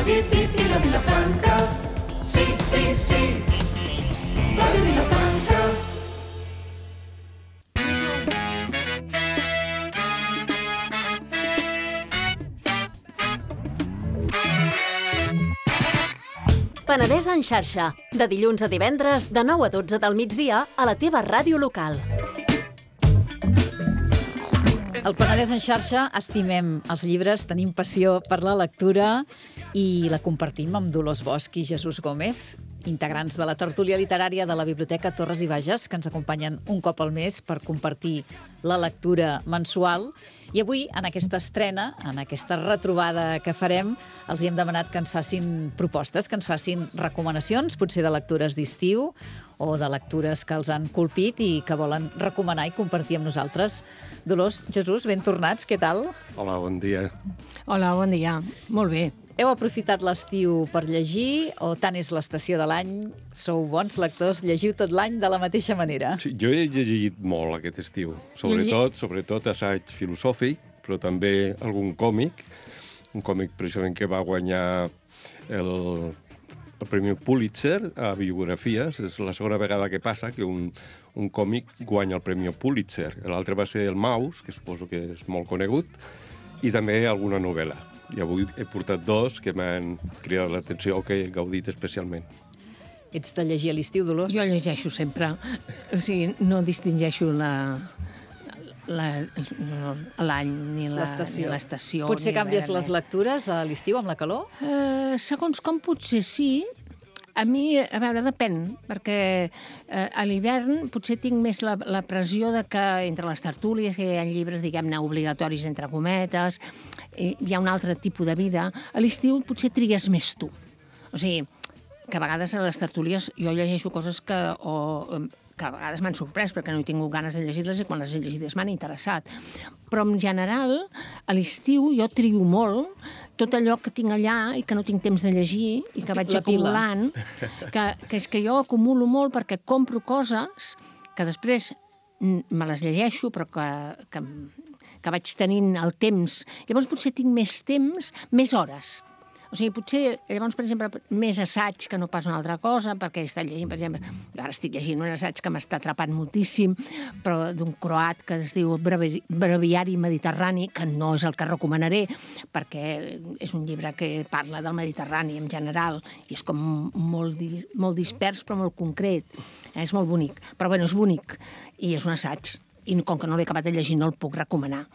bip, bip i la Vilafranca. Sí, sí, sí, Ràdio Vilafranca. Penedès en xarxa, de dilluns a divendres, de 9 a 12 del migdia, a la teva ràdio local. Al Penedès en xarxa estimem els llibres, tenim passió per la lectura i la compartim amb Dolors Bosch i Jesús Gómez, integrants de la tertúlia literària de la Biblioteca Torres i Bages, que ens acompanyen un cop al mes per compartir la lectura mensual. I avui, en aquesta estrena, en aquesta retrobada que farem, els hi hem demanat que ens facin propostes, que ens facin recomanacions, potser de lectures d'estiu o de lectures que els han colpit i que volen recomanar i compartir amb nosaltres. Dolors, Jesús, ben tornats, què tal? Hola, bon dia. Hola, bon dia. Molt bé. Heu aprofitat l'estiu per llegir o tant és l'estació de l'any? Sou bons lectors? Llegiu tot l'any de la mateixa manera? Sí, jo he llegit molt aquest estiu, sobretot assaig filosòfic, però també algun còmic, un còmic precisament que va guanyar el Premi Pulitzer a biografies. És la segona vegada que passa que un còmic guanya el Premi Pulitzer. L'altre va ser El Maus, que suposo que és molt conegut, i també alguna novel·la. I avui he portat dos que m'han cridat l'atenció o que he gaudit especialment. Ets de llegir a l'estiu, Dolors? Jo llegeixo sempre. O sigui, no distingeixo l'any ni l'estació. Potser canvies les lectures a l'estiu amb la calor? Segons com potser sí. A mi, a veure, depèn, perquè a l'hivern potser tinc més la pressió de que entre les tertúlies, que hi ha llibres, diguem-ne, obligatoris entre cometes, hi ha un altre tipus de vida. A l'estiu potser trigues més tu. O sigui, que a vegades a les tertúlies jo llegeixo coses que a vegades m'han sorprès perquè no he tingut ganes de llegir-les i quan les he llegides m'han interessat. Però en general, a l'estiu jo trio molt tot allò que tinc allà i que no tinc temps de llegir i que vaig acumulant, que és que jo acumulo molt perquè compro coses que després me les llegeixo però que vaig tenint el temps. Llavors potser tinc més temps, més hores. O sigui, potser, llavors, per exemple, més assaig que no pas una altra cosa, perquè he estat llegint, per exemple, jo ara estic llegint un assaig que m'està atrapant moltíssim, però d'un croat que es diu Breviari Mediterrani, que no és el que recomanaré, perquè és un llibre que parla del Mediterrani en general, i és com molt dispers, però molt concret. És molt bonic. Però, bueno, és bonic, i és un assaig. I com que no l'he acabat de llegir, no el puc recomanar.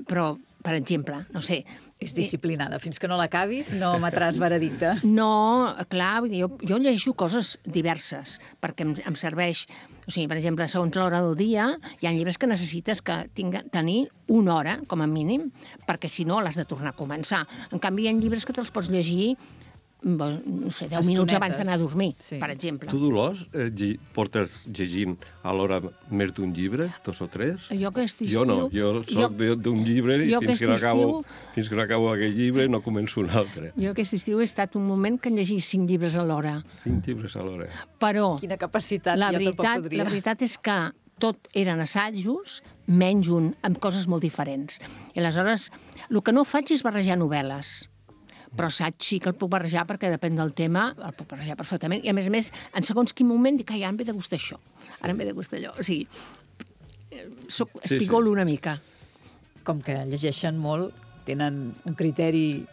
Però, per exemple, no sé... És disciplinada. Fins que no l'acabis no emetràs veredicte. No, clar, vull dir, jo llegeixo coses diverses, perquè em serveix... O sigui, per exemple, segons l'hora del dia, hi ha llibres que necessites tenir una hora, com a mínim, perquè si no l'has de tornar a començar. En canvi, hi ha llibres que te'ls pots llegir no sé, 10 minuts abans d'anar a dormir, per exemple. Tu, Dolors, portes llegint a l'hora més d'un llibre, 2 o 3? Jo aquest estiu... Jo no, jo soc d'un llibre i fins que no acabo aquell llibre no començo un altre. Jo aquest estiu he estat un moment que llegís 5 llibres a l'hora. 5 llibres a l'hora. Però... Quina capacitat, la veritat és que tot eren assajos, menys un, amb coses molt diferents. I aleshores, el que no faig és barrejar novel·les. Però assaig sí que el puc barrejar perquè depèn del tema, el puc barrejar perfectament. I a més, en segons quin moment dic, ara em ve de gust això, ara em ve de gust allò. O sigui, espigolo una mica. Com que llegeixen molt, tenen un criteri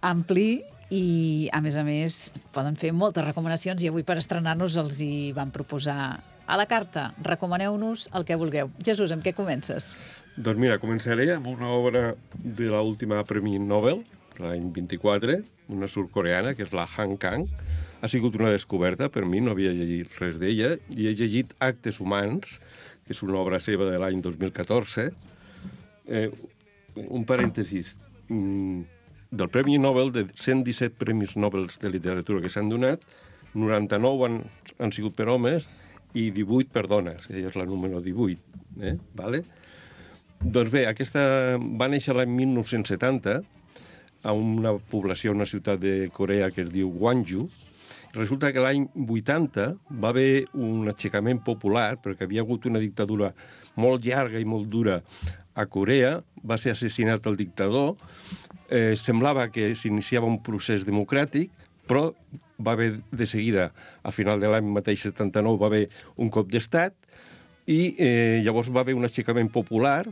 ampli i, a més, poden fer moltes recomanacions i avui per estrenar-nos els hi van proposar a la carta. Recomaneu-nos el que vulgueu. Jesús, amb què comences? Doncs mira, començaré amb una obra de l'última Premi Nobel, l'any 24, una sud-coreana, que és la Han Kang. Ha sigut una descoberta per mi, no havia llegit res d'ella, i he llegit Actes humans, que és una obra seva de l'any 2014. Un parèntesis. Del Premi Nobel, de 117 Premis Nobel de literatura que s'han donat, 99 han sigut per homes i 18 per dones. Ella és la número 18. Vale? Doncs bé, aquesta va néixer l'any 1970, a una població, una ciutat de Corea que es diu Gwangju. Resulta que l'any 80 va haver un aixecament popular, perquè havia hagut una dictadura molt llarga i molt dura a Corea, va ser assassinat el dictador semblava que s'iniciava un procés democràtic, però va haver de seguida, a final de l'any mateix 79, va haver un cop d'estat i llavors va haver un aixecament popular,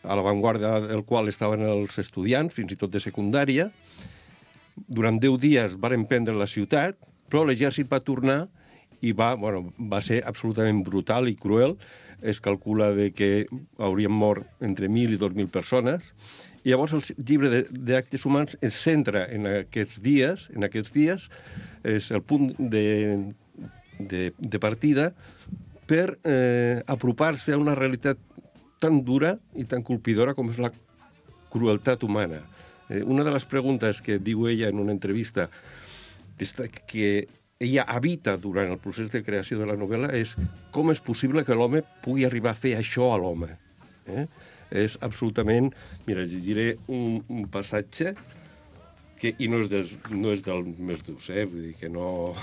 a l'avantguarda del qual estaven els estudiants, fins i tot de secundària. Durant 10 dies varen prendre la ciutat, però l'exèrcit va tornar i va ser absolutament brutal i cruel. Es calcula que haurien mort entre 1.000 i 2.000 persones. I llavors el llibre d'actes humans es centra en aquests dies, és el punt de partida per apropar-se a una realitat tan dura i tan colpidora com és la crueltat humana. Una de les preguntes que diu ella en una entrevista que ella habita durant el procés de creació de la novel·la és com és possible que l'home pugui arribar a fer això a l'home. És absolutament... Mira, llegiré un passatge i no és del més durs, vull dir que no...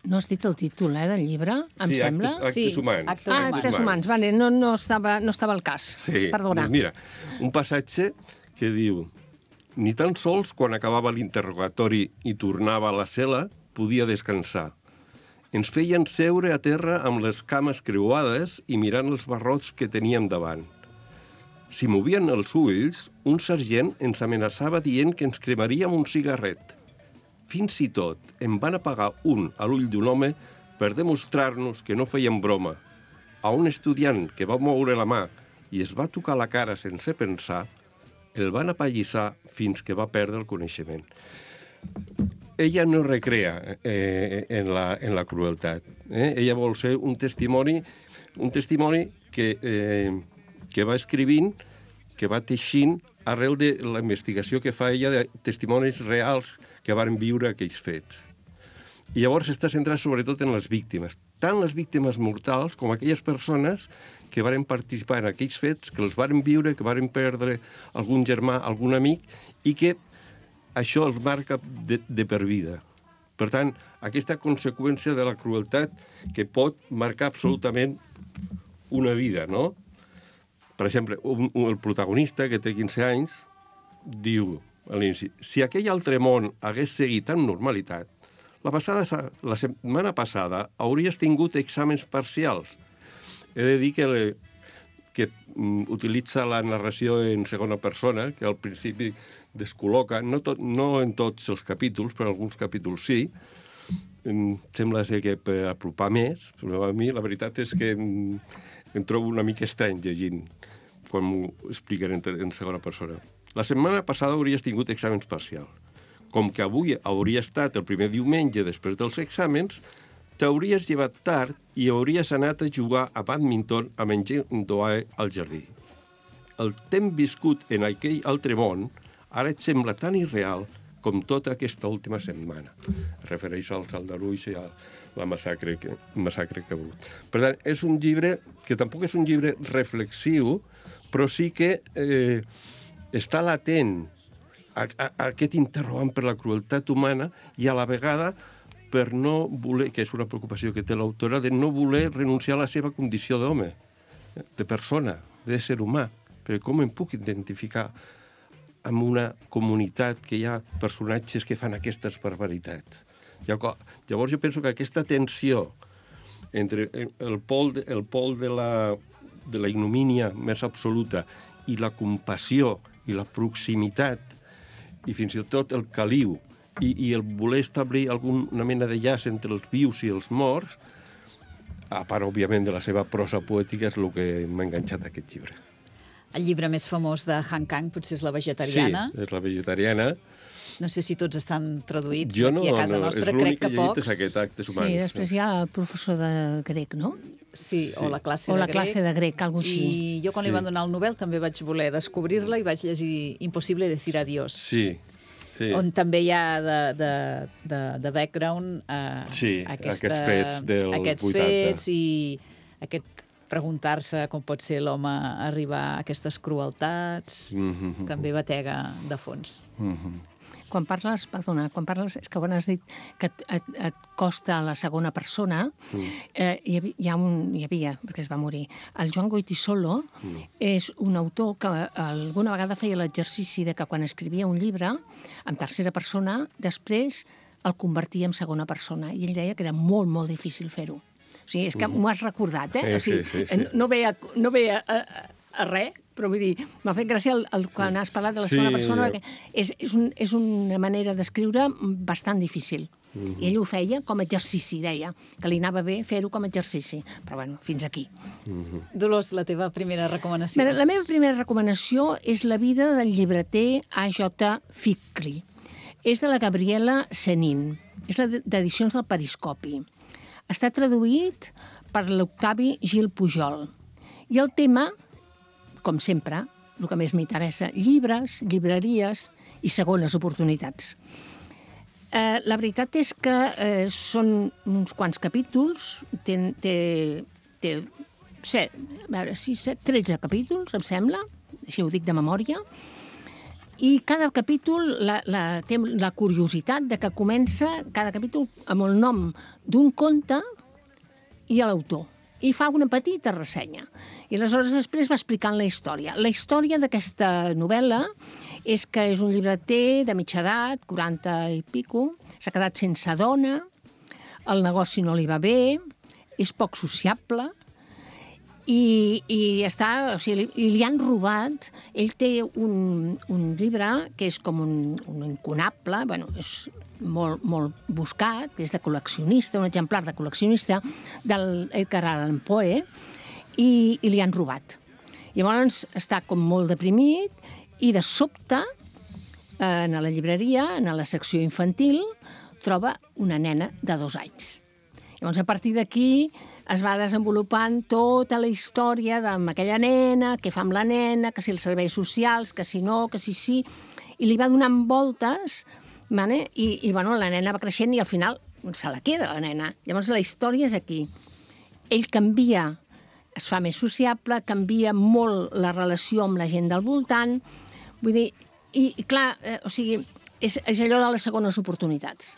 No has dit el títol, del llibre, em sembla? Actes humans. Actes humans, vale, no estava al cas. Sí, perdona. Doncs mira, un passatge que diu: ni tan sols quan acabava l'interrogatori i tornava a la cel·la podia descansar. Ens feien seure a terra amb les cames creuades i mirant els barrots que teníem davant. Si movien els ulls, un sergent ens amenaçava dient que ens cremaríem un cigarret. Fins i tot en van apagar un a l'ull d'un home per demostrar-nos que no feien broma. A un estudiant que va moure la mà i es va tocar la cara sense pensar, el van apallissar fins que va perdre el coneixement. Ella no recrea en la crueltat. Ella vol ser un testimoni que va escrivint, que va teixint arrel de la investigació que fa ella de testimonis reals que varen viure aquells fets. I llavors està centrat sobretot en les víctimes, tant les víctimes mortals com aquelles persones que varen participar en aquells fets, que els varen viure, que varen perdre algun germà, algun amic, i que això els marca de per vida. Per tant, aquesta conseqüència de la crueltat que pot marcar absolutament una vida, no? Per exemple, el protagonista, que té 15 anys, diu a l'inici: si aquell altre món hagués seguit amb normalitat, la setmana passada hauries tingut exàmens parcials. He de dir que utilitza la narració en segona persona, que al principi descol·loca, no en tots els capítols, però en alguns capítols sí. Sembla ser que per apropar més, però a mi la veritat és que em trobo una mica estrany llegint quan m'ho expliquen en segona persona. La setmana passada hauries tingut exàmens parcials. Com que avui hauria estat el primer diumenge després dels exàmens, t'hauries llevat tard i hauries anat a jugar a badminton amb en Doae al jardí. El temps viscut en aquell altre món ara et sembla tan irreal com tota aquesta última setmana. Es refereix als aldarulls i a la massacre que ha hagut. Per tant, és un llibre que tampoc és un llibre reflexiu, però sí que està latent a aquest interrogant per la crueltat humana i a la vegada per no voler, que és una preocupació que té l'autora, de no voler renunciar a la seva condició d'home, de persona, d'ésser humà, perquè com em puc identificar amb una comunitat que hi ha personatges que fan aquestes barbaritats. Llavors jo penso que aquesta tensió entre el pol de la ignomínia més absoluta i la compassió i la proximitat i fins i tot el caliu i el voler establir alguna mena de llaç entre els vius i els morts, a part, òbviament, de la seva prosa poètica, és el que m'ha enganxat a aquest llibre. El llibre més famós de Han Kang potser és La vegetariana. Sí, és La vegetariana. No sé si tots estan traduïts jo aquí a casa nostra, crec que pocs. És l'únic que he llegit, és aquest Actes humans. Sí, després hi ha el professor de grec, no? Sí, o la classe o de la grec. classe de grec, alguna cosa així. I jo quan li van donar el Nobel també vaig voler descobrir-la i vaig llegir Impossible decir adiós. Sí. On també hi ha de background aquests fets del 80. Aquests fets i aquest preguntar-se com pot ser l'home arribar a aquestes crueltats també batega de fons. quan parles, és que quan has dit que et costa la segona persona, hi havia, perquè es va morir, el Joan Goytisolo és un autor que alguna vegada feia l'exercici de que quan escrivia un llibre, en tercera persona, després el convertia en segona persona. I ell deia que era molt, molt difícil fer-ho. O sigui, és que m'ho has recordat, eh? O sigui, sí. no ve a res, però vull dir, m'ha fet gràcia quan has parlat de la segona persona, perquè és una manera d'escriure bastant difícil. I ell ho feia com a exercici, deia, que li anava bé fer-ho com a exercici. Però bueno, fins aquí. Dolors, la teva primera recomanació. La meva primera recomanació és La vida del llibreter A.J. Fickley. És de la Gabriela Senin. És d'Edicions del Periscopi. Està traduït per l'Octavi Gil Pujol. I el tema, com sempre, el que més m'interessa, llibres, llibreries i segones oportunitats. La veritat és que són uns quants capítols, té 13 capítols, em sembla, així ho dic de memòria, i cada capítol té la curiositat de que comença cada capítol amb el nom d'un conte i l'autor. I fa una petita ressenya. I aleshores després va explicant la història. La història d'aquesta novel·la és que és un llibreter de mitja edat, 40 i pico, s'ha quedat sense dona, el negoci no li va bé, és poc sociable, i està, o sigui, li han robat. Ell té un llibre que és com un incunable, bueno, és molt, molt buscat, que és de col·leccionista, un exemplar de col·leccionista del Edgar Allan Poe, i li han robat. Llavors està com molt deprimit i de sobte, a la llibreria, a la secció infantil, troba una nena de 2 anys. Llavors, a partir d'aquí, es va desenvolupant tota la història amb aquella nena, què fa amb la nena, que si els serveis socials, que si no, que si sí, i li va donant voltes, i bueno, la nena va creixent i al final se la queda, la nena. Llavors la història és aquí. Ell canvia, es fa més sociable, canvia molt la relació amb la gent del voltant, vull dir, i clar, o sigui, és allò de les segones oportunitats,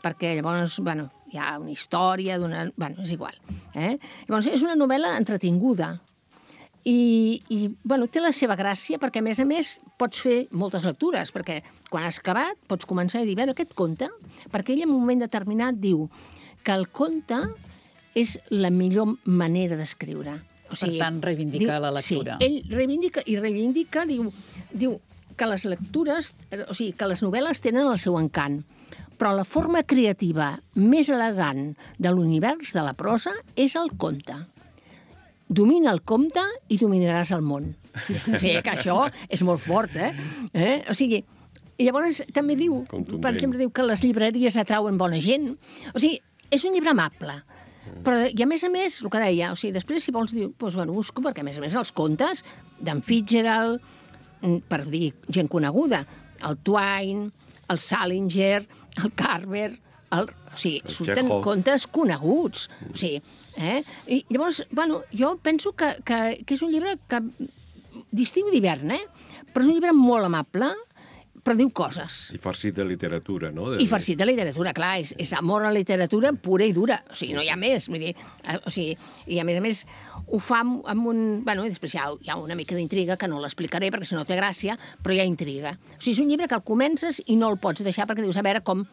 perquè llavors, bueno, hi ha una història, bueno, és igual. Llavors, és una novel·la entretinguda i bueno, té la seva gràcia perquè, a més, pots fer moltes lectures, perquè quan has acabat pots començar a dir, bueno, aquest conte, perquè ell en un moment determinat diu que el conte és la millor manera d'escriure. O sigui, per tant, reivindica la lectura. Sí, ell reivindica, diu que les lectures, o sigui, que les novel·les tenen el seu encant, però la forma creativa més elegant de l'univers de la prosa és el conte. Domina el conte i dominaràs el món. O sigui, que això és molt fort, O sigui, i llavors també diu, per exemple, diu que les llibreries atrauen bona gent. O sigui, és un llibre amable. Però, i a més, el que deia, o sigui, després, si vols dir, doncs, bueno, busco, perquè a més, els contes d'en Fitzgerald, per dir gent coneguda, el Twain, el Salinger, el Carver, o sigui, surten contes coneguts. O sigui, I llavors, bueno, jo penso que és un llibre d'estiu i d'hivern, però és un llibre molt amable, però diu coses. I farcit de literatura, no? I farcit de literatura, clar, és amor a la literatura pura i dura, o sigui, no hi ha més, vull dir, o sigui, i a més ho fa amb un... Bueno, i després hi ha una mica d'intriga, que no l'explicaré perquè si no té gràcia, però hi ha intriga. O sigui, és un llibre que el comences i no el pots deixar perquè dius, a veure com...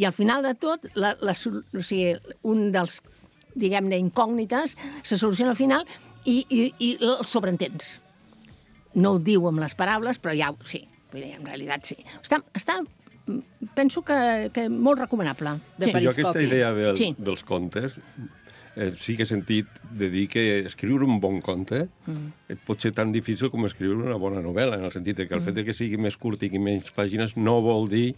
I al final de tot, o sigui, un dels, diguem-ne, incògnites se soluciona al final i el sobreentens. No el diu amb les paraules, però ja sí. Vull dir, en realitat sí. Penso que molt recomanable. Jo aquesta idea dels contes sí que he sentit de dir que escriure un bon conte pot ser tan difícil com escriure una bona novel·la, en el sentit que el fet que sigui més curt i menys pàgines no vol dir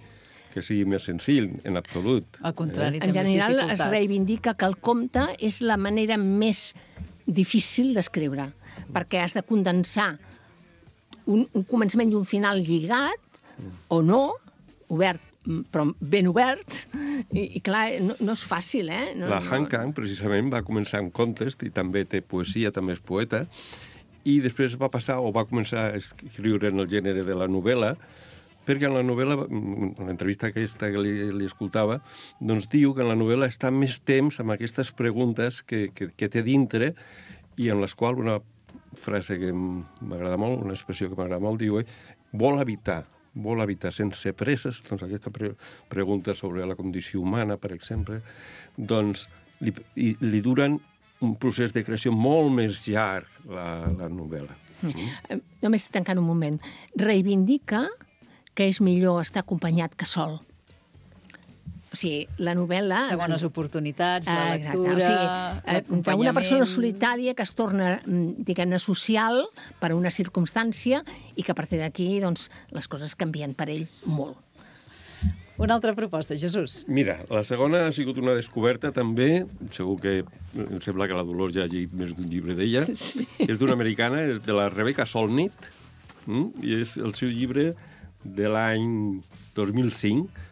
que sigui més senzill, en absolut. Al contrari, en general es reivindica que el conte és la manera més difícil d'escriure, perquè has de condensar un començament i un final lligat, o no, obert, però ben obert, i clar, no és fàcil, La Han Kang, precisament, va començar amb contes, i també té poesia, també és poeta, i després va passar, o va començar a escriure en el gènere de la novel·la, perquè en la novel·la, en l'entrevista aquesta que li escoltava, doncs diu que en la novel·la està més temps amb aquestes preguntes que té dintre i en les quals una frase que m'agrada molt, una expressió que m'agrada molt, diu vol habitar sense presses, doncs aquesta pregunta sobre la condició humana, per exemple, doncs li duren un procés de creació molt més llarg la novel·la. Només tancant un moment. Reivindica que és millor estar acompanyat que sol. O sigui, la novel·la... Segones oportunitats, la lectura, o sigui, una persona solitària que es torna, diguem-ne, social per una circumstància i que a partir d'aquí, doncs, les coses canvien per ell molt. Una altra proposta, Jesús. Mira, la segona ha sigut una descoberta també, segur que em sembla que la Dolors ja ha llegit més d'un llibre d'ella, sí. És d'una americana, és de la Rebecca Solnit, i és el seu llibre de l'any 2005,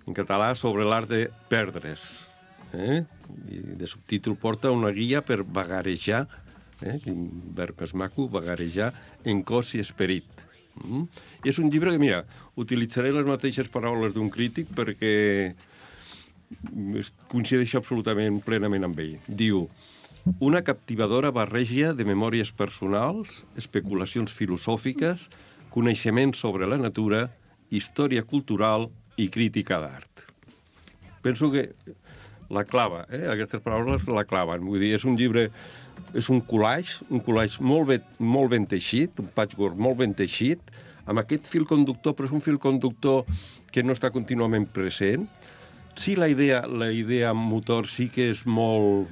en català, sobre l'art de perdre's. I de subtítol porta una guia per vagarejar, quin verb més maco, vagarejar en cos i esperit. I és un llibre que, mira, utilitzaré les mateixes paraules d'un crític perquè coincideix absolutament plenament amb ell. Diu, una captivadora barreja de memòries personals, especulacions filosòfiques, coneixements sobre la natura, història cultural i crítica d'art. Penso que la clava, aquestes paraules la claven. Vull dir, és un llibre, és un collage molt ben teixit, un patchwork molt ben teixit, amb aquest fil conductor, però és un fil conductor que no està contínuament present. Sí, la idea motor sí que és molt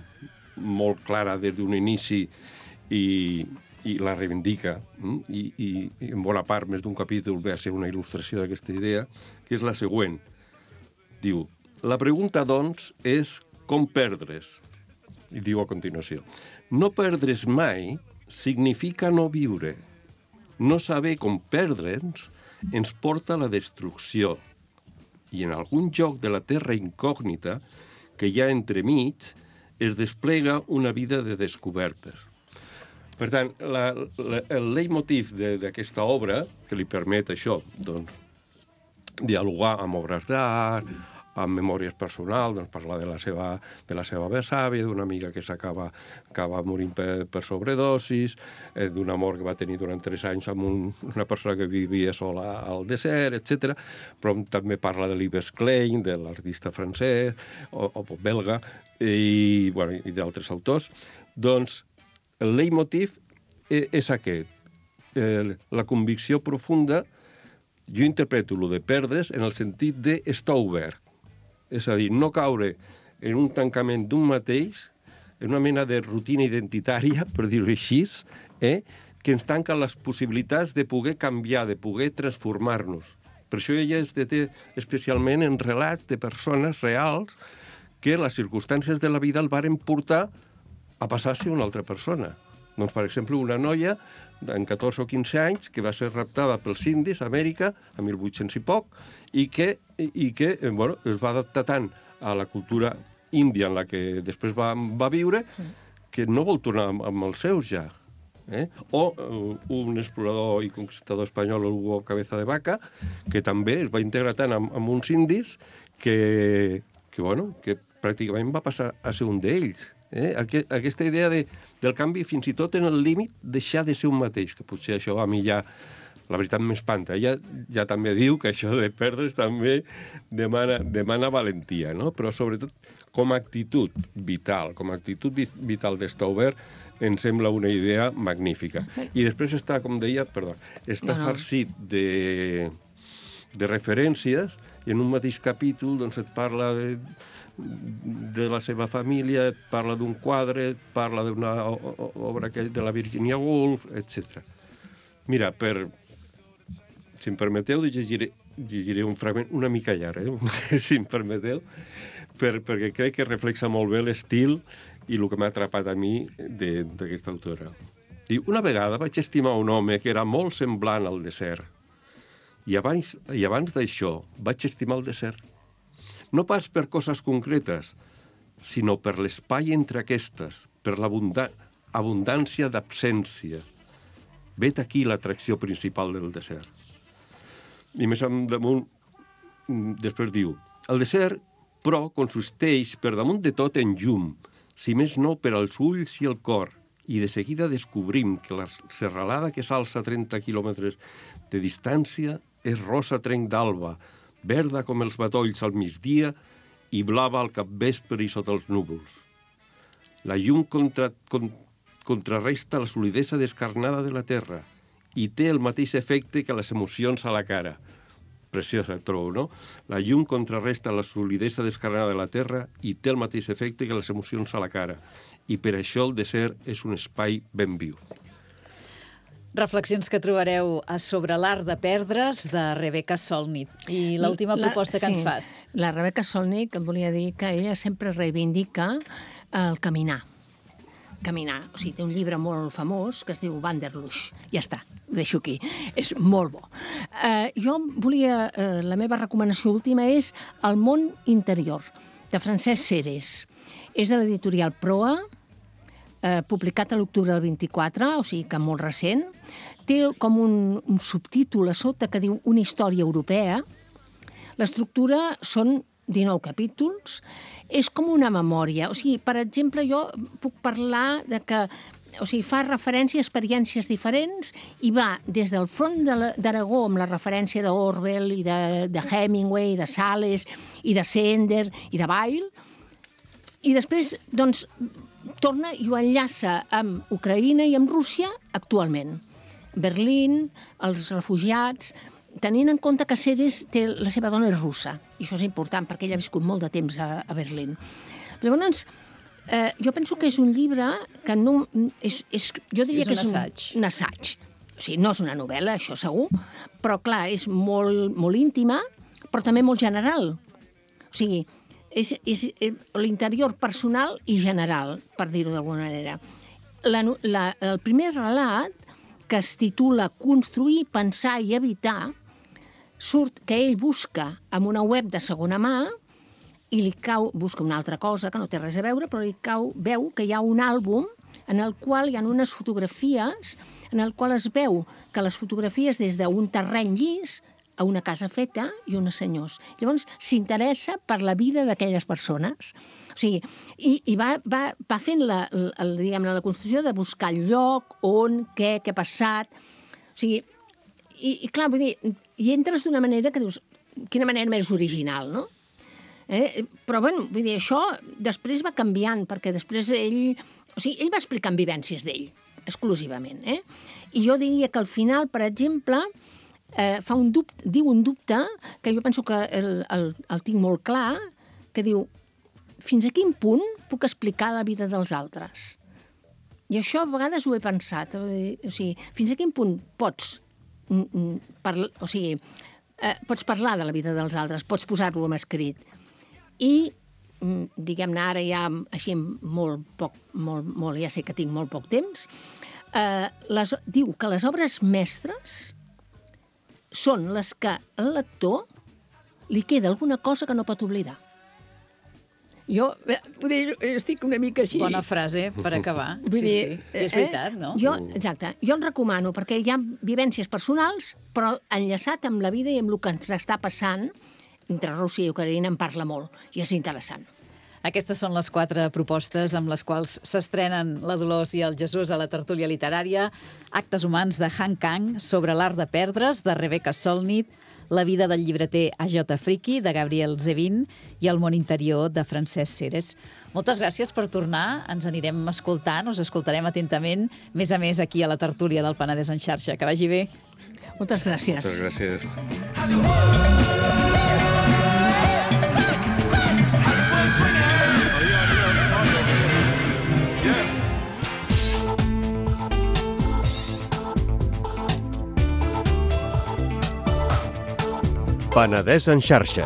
clara des d'un inici i la reivindica, i en bona part més d'un capítol ve a ser una il·lustració d'aquesta idea, que és la següent. Diu, la pregunta, doncs, és com perdre's? I diu a continuació, no perdre's mai significa no viure. No saber com perdre'ns ens porta a la destrucció. I en algun lloc de la terra incògnita que hi ha entremig es desplega una vida de descobertes. Per tant, el leitmotiv d'aquesta obra, que li permet això, doncs, dialogar amb obres d'art, amb memòries personals, doncs parlar de la seva besàvia, d'una amiga que acaba morint per sobredosis, d'un amor que va tenir durant 3 anys amb una persona que vivia sola al desert, etc. Però també parla de l'Yves Klein, de l'artista francès o belga, i d'altres autors. Doncs el leitmotiv és aquest. La convicció profunda, jo interpreto lo de perdre's en el sentit d'estar obert. És a dir, no caure en un tancament d'un mateix, en una mena de rutina identitària, per dir-ho així, que ens tanca les possibilitats de poder canviar, de poder transformar-nos. Per això ella es deté especialment en relats de persones reals que les circumstàncies de la vida el varen portar a passar a ser una altra persona. Doncs, per exemple, una noia en 14 o 15 anys que va ser raptada pels indis a Amèrica, a 1800 i poc, i que es va adaptar tant a la cultura índia en la que després va viure que no vol tornar amb els seus ja. O un explorador i conquistador espanyol, Hugo Cabeza de Vaca, que també es va integrar tant amb uns indis que pràcticament va passar a ser un d'ells. Aquesta idea del canvi, fins i tot en el límit, deixar de ser un mateix, que potser això a mi ja, la veritat, m'espanta. Ella ja també diu que això de perdre's també demana valentia, no? Però sobretot com a actitud vital, d'estar obert, em sembla una idea magnífica. I després està, com deia, farcit de referències, i en un mateix capítol doncs, et parla de la seva família, et parla d'un quadre, et parla d'una obra de la Virginia Woolf, etc. Mira, si em permeteu, llegiré un fragment una mica llarg, si em permeteu, perquè crec que reflexa molt bé l'estil i el que m'ha atrapat a mi d'aquesta autora. Diu, una vegada vaig estimar un home que era molt semblant al desert, i abans d'això vaig estimar el desert. No pas per coses concretes, sinó per l'espai entre aquestes, per l'abundància d'absència. Vet aquí l'atracció principal del desert. I més damunt, després diu, el desert, però, consisteix per damunt de tot en llum, si més no per als ulls i el cor, i de seguida descobrim que la serralada que s'alça a 30 quilòmetres de distància és rosa trenc d'alba, verda com els matolls al migdia i blava al capvespre i sota els núvols. La llum contrarresta la solidesa descarnada de la terra i té el mateix efecte que les emocions a la cara. Preciosa, trobo, no? La llum contrarresta la solidesa descarnada de la terra i té el mateix efecte que les emocions a la cara. I per això el desert és un espai ben viu. Reflexions que trobareu a Sobre l'art de perdre's, de Rebecca Solnit. I l'última proposta que ens fas. La Rebecca Solnit, em volia dir que ella sempre reivindica el caminar. Caminar. O sigui, té un llibre molt famós que es diu Wanderlust. Ja està, ho deixo aquí. És molt bo. Jo volia... la meva recomanació última és El món interior, de Francesc Ceres. És de l'editorial Proa, publicat a l'octubre del 24, o sigui que molt recent. Té com un subtítol a sota que diu Una història europea. L'estructura són 19 capítols. És com una memòria. O sigui, per exemple, jo puc parlar de que fa referència a experiències diferents i va des del front d'Aragó amb la referència d'Orwell i de Hemingway, de Sales i de Sender i de Weil, i després, doncs, torna i ho enllaça amb Ucraïna i amb Rússia actualment. Berlín, els refugiats, tenint en compte que Ceres la seva dona és russa, i això és important perquè ella ha viscut molt de temps a Berlín. Llavors, jo penso que és un llibre que no... jo diria que és un assaig. O sigui, no és una novel·la, això segur, però clar, és molt íntima, però també molt general. O sigui, és l'interior personal i general, per dir-ho d'alguna manera. El primer relat, que es titula Construir, pensar i evitar, surt que ell busca en una web de segona mà i busca una altra cosa que no té res a veure, però veu que hi ha un àlbum en el qual hi ha unes fotografies en el qual es veu que les fotografies des d'un terreny llis a una casa feta i uns senyors. Llavors, s'interessa per la vida d'aquelles persones. O sigui, i va fent la construcció de buscar el lloc, on, què ha passat. O sigui, i clar, vull dir, hi entres d'una manera que dius, quina manera més original, no? Però, bueno, vull dir, això després va canviant, perquè després ell va explicant vivències d'ell, exclusivament, I jo diria que al final, per exemple, diu un dubte, que jo penso que el tinc molt clar, que diu, fins a quin punt puc explicar la vida dels altres? I això a vegades ho he pensat. O sigui, fins a quin punt pots parlar de la vida dels altres, pots posar-lo en escrit. I, diguem-ne, ara ja així ja sé que tinc molt poc temps, diu que les obres mestres són les que al lector li queda alguna cosa que no pot oblidar. Jo estic una mica així. Bona frase per acabar. Sí. És veritat, no? Exacte. Jo el recomano perquè hi ha vivències personals, però enllaçat amb la vida i amb el que ens està passant entre Rússia i Ucraïna en parla molt, i és interessant. Aquestes són les 4 propostes amb les quals s'estrenen la Dolors i el Jesús a la tertúlia literària. Actes humans de Han Kang, Sobre l'art de perdre's, de Rebecca Solnit, La vida del llibreter A.J. Friki, de Gabriel Zevin, i El món interior, de Francesc Ceres. Moltes gràcies per tornar. Ens anirem escoltant, us escoltarem atentament, més a més aquí a la tertúlia del Penedès en xarxa. Que vagi bé. Moltes gràcies. Moltes gràcies. Penedès en xarxa.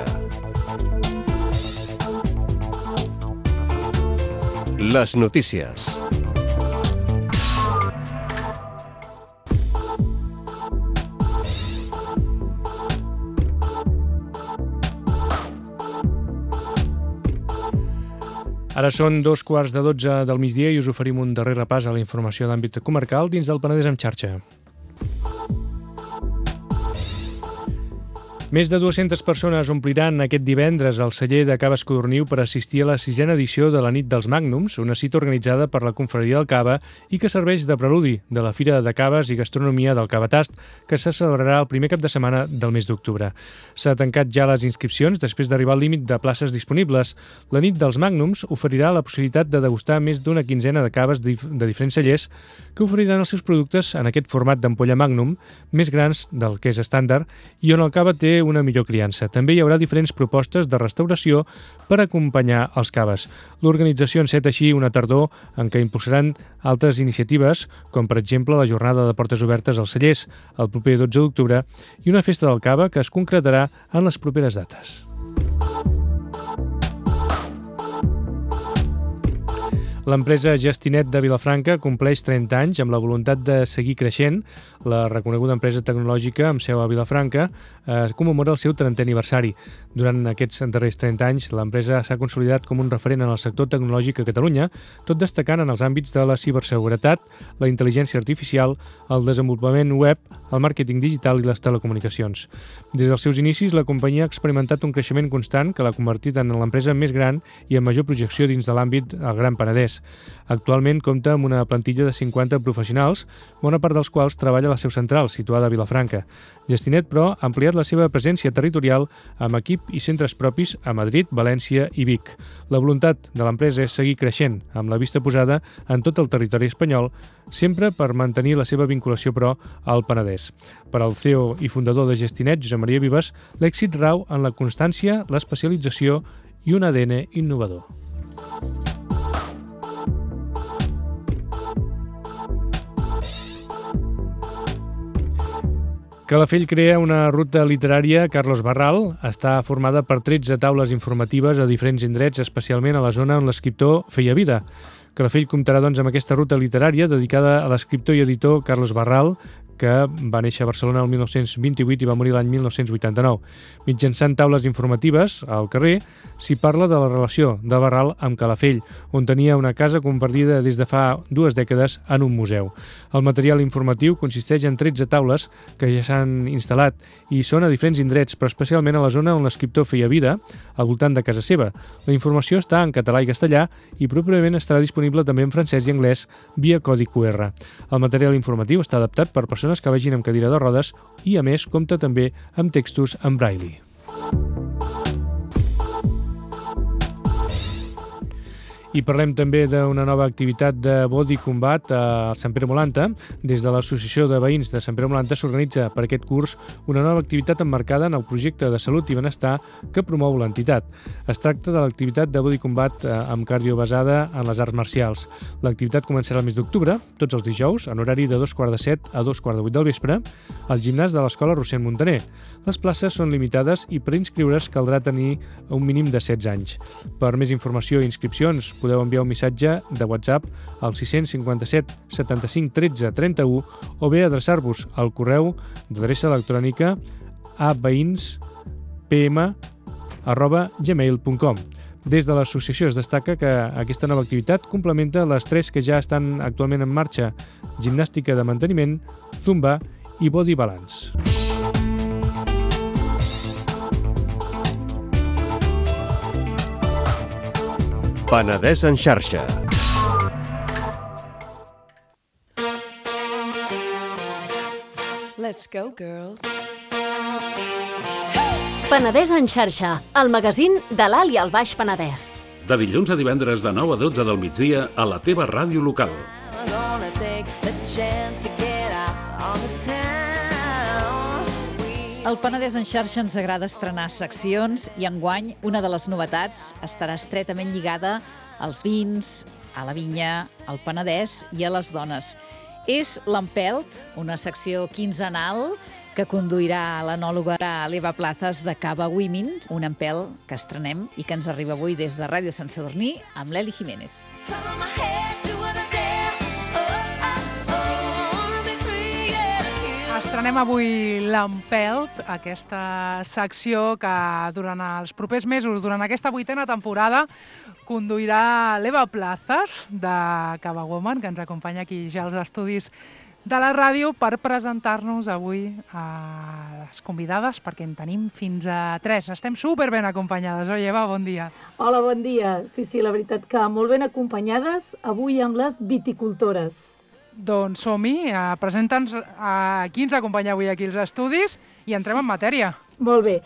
Les notícies. Ara són 2:15 del migdia i us oferim un darrer repàs a la informació d'àmbit comarcal dins del Penedès en xarxa. Més de 200 persones ompliran aquest divendres al celler de Cava Escodorniu per assistir a la 6a edició de la Nit dels Magnums, una cita organitzada per la Confraria del Cava i que serveix de preludi de la Fira de Caves i Gastronomia del Cavatast, que se celebrarà el primer cap de setmana del mes d'octubre. S'ha tancat ja les inscripcions després d'arribar al límit de places disponibles. La Nit dels Magnums oferirà la possibilitat de degustar més d'una quinzena de caves de diferents cellers que oferiran els seus productes en aquest format d'ampolla Magnum, més grans del que és estàndard, i on el cava té una millor criança. També hi haurà diferents propostes de restauració per acompanyar els caves. L'organització enceta així una tardor en què impulsaran altres iniciatives, com per exemple la jornada de portes obertes als cellers el proper 12 d'octubre i una festa del cava que es concretarà en les properes dates. L'empresa Gestinet de Vilafranca compleix 30 anys amb la voluntat de seguir creixent. La reconeguda empresa tecnològica amb seu a Vilafranca commemora el seu 30è aniversari. Durant aquests darrers 30 anys, l'empresa s'ha consolidat com un referent en el sector tecnològic a Catalunya, tot destacant en els àmbits de la ciberseguretat, la intel·ligència artificial, el desenvolupament web, el màrqueting digital i les telecomunicacions. Des dels seus inicis, la companyia ha experimentat un creixement constant que l'ha convertit en l'empresa més gran i amb major projecció dins de l'àmbit del Gran Penedès. Actualment compta amb una plantilla de 50 professionals, bona part dels quals treballa a la seu central, situada a Vilafranca. Gestinet, però, ha ampliat la seva presència territorial amb equip i centres propis a Madrid, València i Vic. La voluntat de l'empresa és seguir creixent, amb la vista posada en tot el territori espanyol, sempre per mantenir la seva vinculació, però, al Penedès. Per al CEO i fundador de Gestinet, Josep Maria Vives, l'èxit rau en la constància, l'especialització i un ADN innovador. Calafell crea una ruta literària Carlos Barral. Està formada per 13 taules informatives a diferents indrets, especialment a la zona on l'escriptor feia vida. Calafell comptarà, doncs, amb aquesta ruta literària dedicada a l'escriptor i editor Carlos Barral, que va néixer a Barcelona el 1928 i va morir l'any 1989. Mitjançant taules informatives al carrer, s'hi parla de la relació de Barral amb Calafell, on tenia una casa compartida des de fa 2 dècades en un museu. El material informatiu consisteix en 13 taules que ja s'han instal·lat i són a diferents indrets, però especialment a la zona on l'escriptor feia vida, al voltant de casa seva. La informació està en català i castellà i properament estarà disponible també en francès i anglès via codi QR. El material informatiu està adaptat per persones que vagin amb cadira de rodes i, a més, compta també amb textos en braille. I parlem també d'una nova activitat de body combat a Sant Pere Molanta. Des de l'Associació de Veïns de Sant Pere Molanta s'organitza per aquest curs una nova activitat emmarcada en el projecte de salut i benestar que promou l'entitat. Es tracta de l'activitat de body combat amb cardio basada en les arts marcials. L'activitat començarà el mes d'octubre, tots els dijous, en horari de 2:45 a 2:45 del vespre, al gimnàs de l'Escola Rossend Montaner. Les places són limitades i per inscriure's caldrà tenir un mínim de 16 anys. Per més informació i inscripcions podeu enviar un missatge de WhatsApp al 657 75 13 31 o bé adreçar-vos al correu d'adreça electrònica a veïnspm@gmail.com. Des de l'associació es destaca que aquesta nova activitat complementa les 3 que ja estan actualment en marxa: gimnàstica de manteniment, zumba i body balance. Penedès en xarxa. Let's go, girls. Penedès en xarxa, el magazín de l'Alt i el Baix Penedès. De dilluns a divendres de 9 a 12 del migdia a la teva ràdio local. I'm gonna take the chance to get out on the town. Al Penedès en xarxa ens agrada estrenar seccions i enguany una de les novetats estarà estretament lligada als vins, a la vinya, al Penedès i a les dones. És l'Empelt, una secció quinzenal que conduirà l'enòloga l'Eva Plazas de Cava Women, un empelt que estrenem i que ens arriba avui des de Ràdio Sant Sadurní amb l'Eli Jiménez. Estrenem avui l'Empelt, aquesta secció que durant els propers mesos, durant aquesta 8a temporada, conduirà l'Eva Plazas de Cava Women, que ens acompanya aquí ja als estudis de la ràdio per presentar-nos avui a les convidades, perquè en tenim fins a 3. Estem superben acompanyades. Oi, Eva, bon dia. Hola, bon dia. Sí, la veritat que molt ben acompanyades avui amb les viticultores. Doncs som-hi, presenta'ns a qui ens acompanya avui aquí als estudis i entrem en matèria. Molt bé.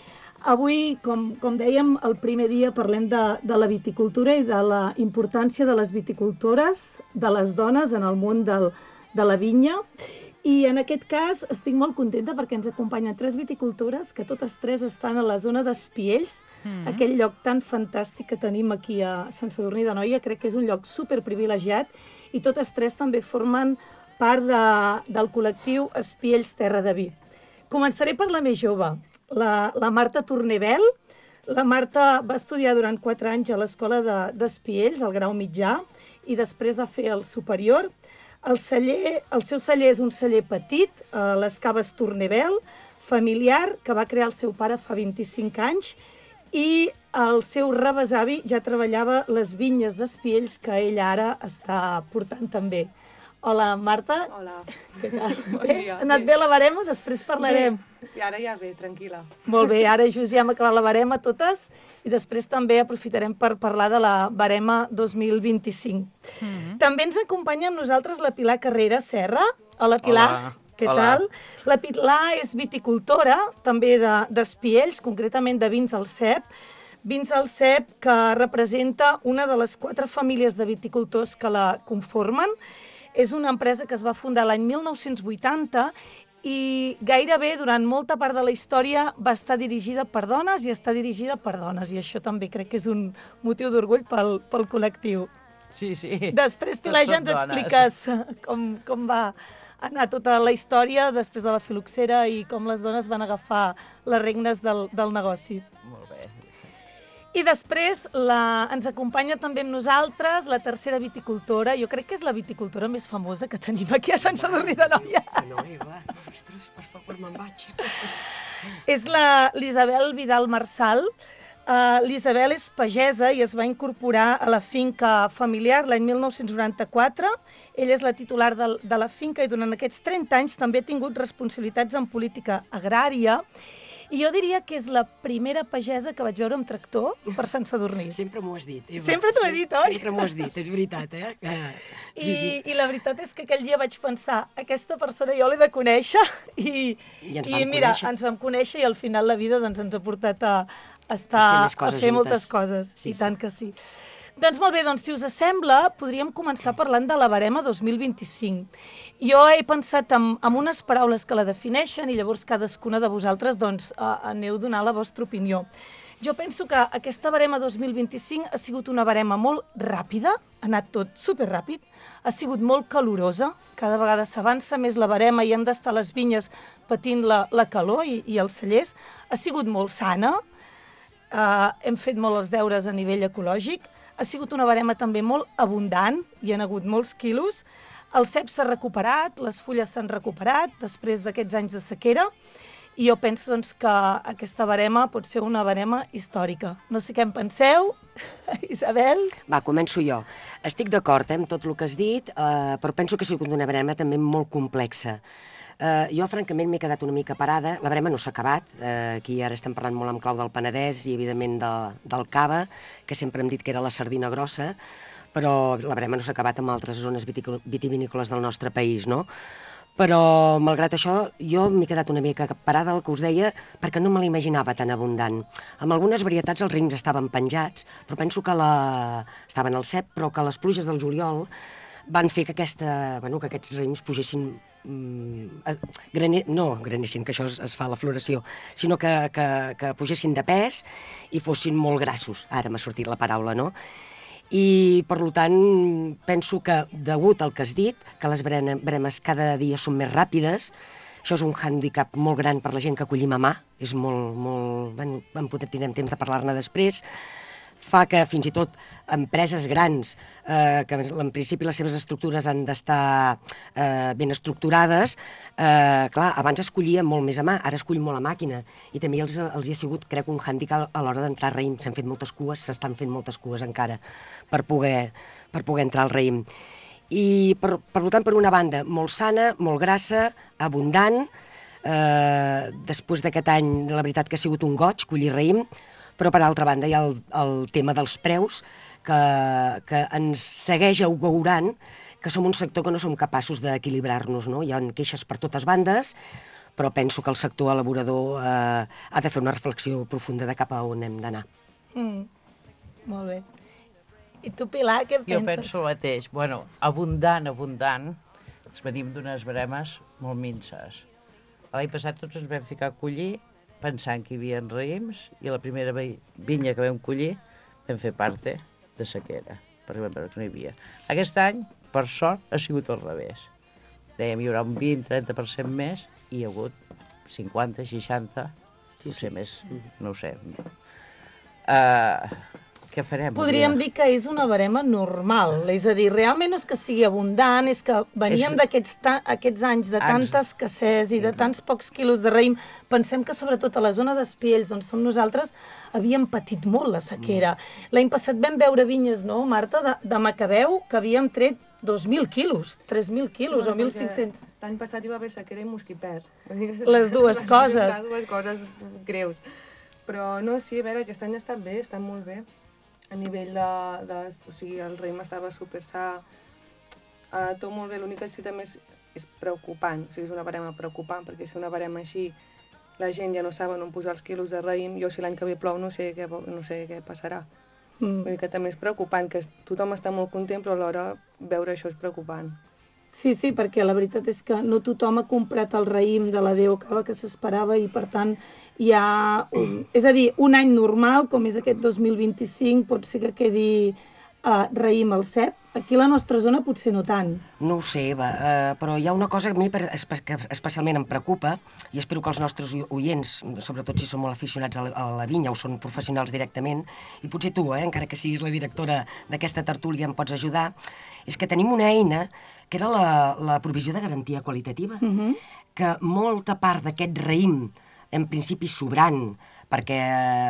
Avui, com dèiem, el primer dia parlem de la viticultura i de la importància de les viticultores, de les dones en el món de la vinya. I en aquest cas estic molt contenta perquè ens acompanyen 3 viticultores que totes 3 estan a la zona d'Espiells, aquell lloc tan fantàstic que tenim aquí a Sant Sadurní d'Anoia. Crec que és un lloc superprivilegiat i totes 3 també formen part del col·lectiu Espiells Terra de Vi. Començaré per la més jove, la Marta Tornebel. La Marta va estudiar durant 4 anys a l'escola d'Espiells, al grau mitjà, i després va fer el superior. El seu celler és un celler petit, les Caves Tornebel, familiar, que va crear el seu pare fa 25 anys, i el seu rebesavi ja treballava les vinyes d'Espiells, que ell ara està portant també. Hola, Marta. Hola. Què tal? Bon dia. Ha anat bé la barema? Després parlarem. I ara ja bé, tranquil·la. Molt bé, ara just ja hem acabat la barema totes i després també aprofitarem per parlar de la barema 2025. També ens acompanya amb nosaltres la Pilar Carrera Serra. Hola, Pilar. Hola. Què tal? La Pilar és viticultora, també d'Espiells, concretament de Vins al Cep. Vins al Cep, que representa una de les 4 famílies de viticultors que la conformen. És una empresa que es va fundar l'any 1980 i gairebé durant molta part de la història va estar dirigida per dones i està dirigida per dones. I això també crec que és un motiu d'orgull pel col·lectiu. Sí. Després, Pilar, ja ens expliques com va anar tota la història després de la filoxera i com les dones van agafar les regnes del negoci. Molt bé. I després ens acompanya també amb nosaltres la tercera viticultora. Jo crec que és la viticultora més famosa que tenim aquí a Sant Sadurní d'Anoia. No, Eva, ostres, per favor, me'n vaig. És l'Isabel Vidal Marçal. L'Isabel és pagesa i es va incorporar a la finca familiar l'any 1994. Ella és la titular de la finca i durant aquests 30 anys també ha tingut responsabilitats en política agrària. I jo diria que és la primera pagesa que vaig veure amb tractor per Sant Sadurní. Sempre m'ho has dit, Eva. Sempre t'ho he dit, oi? Sempre m'ho has dit, és veritat, eh? I la veritat és que aquell dia vaig pensar, aquesta persona jo l'he de conèixer i mira, ens vam conèixer i al final la vida ens ha portat a fer moltes coses. I tant que sí. Doncs molt bé, si us sembla, podríem començar parlant de la barema 2025. Jo he pensat en unes paraules que la defineixen i llavors cadascuna de vosaltres aneu a donar la vostra opinió. Jo penso que aquesta barema 2025 ha sigut una barema molt ràpida, ha anat tot superràpid, ha sigut molt calorosa, cada vegada s'avança més la barema i hem d'estar a les vinyes patint la calor i els cellers, ha sigut molt sana, hem fet molt els deures a nivell ecològic, ha sigut una barema també molt abundant, hi ha hagut molts quilos, el cep s'ha recuperat, les fulles s'han recuperat després d'aquests anys de sequera i jo penso que aquesta barema pot ser una barema històrica. No sé què en penseu, Isabel? Va, començo jo. Estic d'acord amb tot el que has dit, però penso que ha sigut una barema també molt complexa. Jo, francament, m'he quedat una mica parada. La barema no s'ha acabat. Aquí ara estem parlant molt amb clau del Penedès i, evidentment, del Cava, que sempre hem dit que era la sardina grossa, però la barema no s'ha acabat amb altres zones vitivinícoles del nostre país, no? Però, malgrat això, jo m'he quedat una mica parada, el que us deia, perquè no me l'imaginava tan abundant. Amb algunes varietats els raïms estaven penjats, però penso que estaven al cep, però que les pluges del juliol van fer que aquests raïms pugessin no granessin, que això es fa a la floració, sinó que pugessin de pes i fossin molt grassos. Ara m'ha sortit la paraula, no? I, per tant, penso que, degut al que has dit, que les baremes cada dia són més ràpides, això és un hàndicap molt gran per la gent que acollim a mà, és molt... tindrem temps de parlar-ne després, fa que fins i tot empreses grans, que en principi les seves estructures han d'estar ben estructurades, clar, abans es collia molt més a mà, ara es cull molt a màquina, i també els hi ha sigut, crec, un hàndicap a l'hora d'entrar al raïm. S'han fet moltes cues, s'estan fent moltes cues encara per poder entrar al raïm. I, per tant, per una banda, molt sana, molt grassa, abundant. Després d'aquest any, la veritat que ha sigut un goig collir raïm, però per altra banda hi ha el tema dels preus, que ens segueix augurant que som un sector que no som capaços d'equilibrar-nos, no? Hi ha queixes per totes bandes, però penso que el sector elaborador ha de fer una reflexió profunda de cap a on hem d'anar. Molt bé. I tu, Pilar, què penses? Jo penso el mateix. Bueno, abundant. Venim d'unes bremes molt minces. L'any passat tots ens vam ficar a collir pensant que hi havia raïms i la primera vinya que vam collir vam fer parte de sequera, perquè vam veure que no hi havia. Aquest any, per sort, ha sigut al revés. Dèiem, hi haurà un 20-30% més i hi ha hagut 50, 60, potser més, no ho sé. Què farem? Podríem dir que és una barema normal, és a dir, realment no és que sigui abundant, és que veníem d'aquests anys de tanta escassez i de tants pocs quilos de raïm. Pensem que sobretot a la zona d'Espiells, on som nosaltres, havíem patit molt la sequera. L'any passat vam veure vinyes, no, Marta, de Macabeu, que havíem tret 2.000 quilos, 3.000 quilos o 1.500. L'any passat hi va haver sequera i mosquipert. Les dues coses. Les dues coses greus. Però no, sí, a veure, aquest any ha estat bé, està molt bé. A nivell o sigui, el raïm estava super sa, tot molt bé, l'únic que sí també és preocupant, o sigui, és una barema preocupant, perquè si una barema així, la gent ja no saben on posar els quilos de raïm, jo si l'any que ve plou no sé què passarà. Vull dir que també és preocupant, que tothom està molt content, però alhora veure això és preocupant. Sí, perquè la veritat és que no tothom ha comprat el raïm de la Déu Cava que s'esperava i, per tant, hi ha... És a dir, un any normal, com és aquest 2025, pot ser que quedi raïm al cep. Aquí a la nostra zona potser no tant. No ho sé, Eva, però hi ha una cosa que a mi especialment em preocupa, i espero que els nostres oients, sobretot si són molt aficionats a la vinya o són professionals directament, i potser tu, encara que siguis la directora d'aquesta tertúlia, em pots ajudar, és que tenim una eina que era la provisió de garantia qualitativa, que molta part d'aquest raïm, en principi sobrant, perquè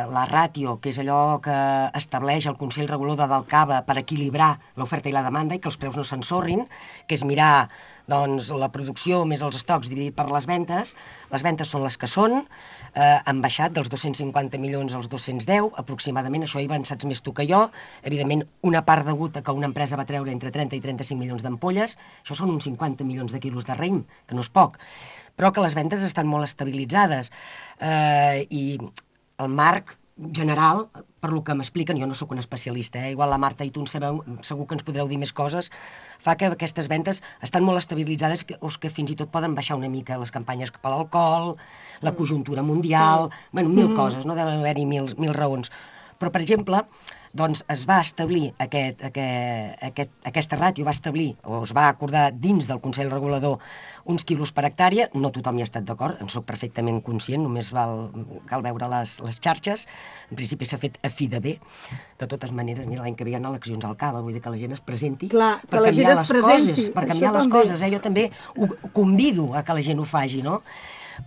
la ràtio, que és allò que estableix el Consell Regulador del Cava per equilibrar l'oferta i la demanda i que els preus no s'ensorrin, que és mirar doncs, la producció més els estocs dividit per les ventes són les que són, han baixat dels 250 milions als 210, aproximadament, això hi saps més tu que jo, evidentment una part degut a que una empresa va treure entre 30 i 35 milions d'ampolles, això són uns 50 milions de quilos de raïm, que no és poc, però que les ventes estan molt estabilitzades i el marc general, per lo que m'expliquen, jo no sóc un especialista, igual la Marta i tu en sabeu, segur que ens podreu dir més coses, fa que aquestes ventes estan molt estabilitzades o que fins i tot poden baixar una mica les campanyes cap a l'alcohol, la conjuntura mundial, bueno, mil coses, no deuen haver-hi mil raons. Però, per exemple, doncs es va establir aquesta ràtio, va establir, o es va acordar dins del Consell Regulador uns quilos per hectàrea, no tothom hi ha estat d'acord, en soc perfectament conscient, només cal veure les xarxes, en principi s'ha fet a fi de bé, de totes maneres, mira, l'any que ve hi ha eleccions al Cava, vull dir que la gent es presenti per canviar les coses, jo també ho convido a que la gent ho faci, no?